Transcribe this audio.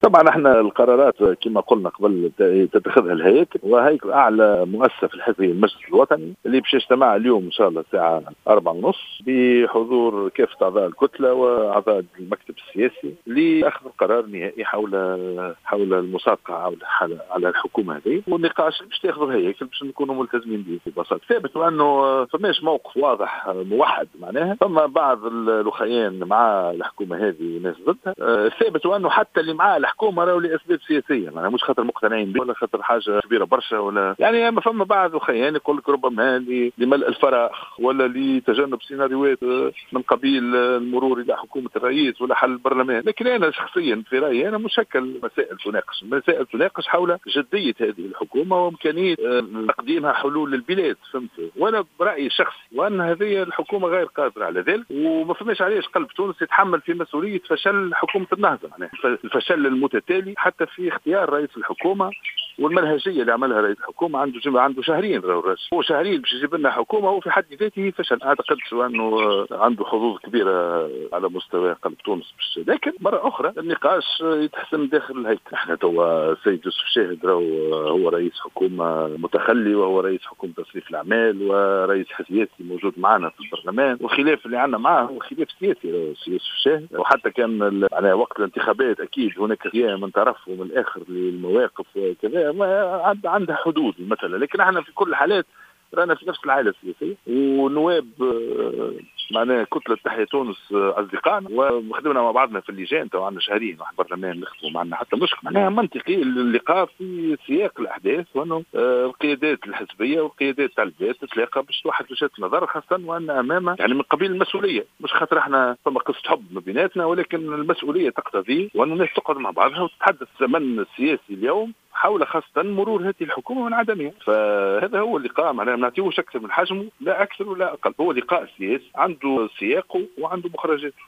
طبعا احنا القرارات كما قلنا قبل تتخذها الهياكل، وهيكل اعلى مؤسسة في الحزب المجلس الوطني اللي باش يجتمع اليوم ان شاء الله الساعة 4:30 بحضور كافة اعضاء الكتلة واعضاء المكتب السياسي لاخذ القرار النهائي حول المصادقة على الحكومة هذه، والنقاش باش تاخذ الهياكل باش نكونوا ملتزمين به ببساطة. ثابت انه فماش موقف واضح موحد، معناها فما بعض الاخيان مع الحكومة هذه وناس ضدها. ثابت انه حتى اللي مع الحكومة راهو لاسباب سياسية، معناها مش خاطر مقتنعين به ولا خاطر حاجة كبيرة برشا ولا يعني، ما فما بعض الاخيان يقول لك ربما لملء الفراغ ولا لتجنب سيناريوهات من قبيل المرور الى حكومة الرئيس ولا حل البرلمان. لكن انا شخصيا في رايي انا مش هكا المسائل تناقش، المسائل تناقش حول جدية هذه الحكومة وامكانية تقديمها حلول للبلاد، فهمت؟ وانا برايي الشخصي وان هذه الحكومة غير قادرة على ذلك، وما فماش علاش قلب تونس يتحمل في مسؤولية فشل حكومة النهضة، معناها الفشل المتتالي حتى في اختيار رئيس الحكومة والمنهجيه اللي عملها رئيس الحكومة. عنده شهرين، هو شهرين باش يجيب لنا حكومة، هو في حد ذاته فشل. اعتقد انه عنده حظوظ كبيرة على مستوى قلب تونس، لكن مرة اخرى النقاش يتحسم داخل الهيكل. احنا توا السيد يوسف شاهد هو رئيس حكومة متخلي، وهو رئيس حكومة تصريف الاعمال، ورئيس حزب سياسي موجود معنا في البرلمان، والخلاف اللي عندنا معاه هو خلاف سياسي يوسف شاهد. وحتى كان على وقت الانتخابات اكيد هناك خيانة من طرف ومن الاخر للمواقف وكذا، عندها حدود المسألة. لكن احنا في كل الحالات رانا في نفس العائلة السياسية، ونواب معناها كتلة تحيا تونس اصدقائنا، وخدمنا مع بعضنا في اللجان، تو عندنا شهرين واحد برلمان نخدموا، ما عندنا حتى مشكل. معناها منطقي اللقاء في سياق الاحداث، وانه القيادات الحزبية والقيادات تاع البلاد تتلاقى باش توحد وجهات النظر، خاصة وان امام يعني من قبيل المسؤولية، مش خاطر احنا فما قصة حب ما بيناتنا، ولكن المسؤولية تقتضي وان الناس تقعد مع بعضها وتتحدث. الزمن السياسي اليوم حول خاصة مرور هذه الحكومة من عدمها، فهذا هو اللقاء، معناها ما نعطيوش أكثر من حجمه، لا أكثر ولا أقل. هو لقاء سياسي عنده سياقه وعنده مخرجاته.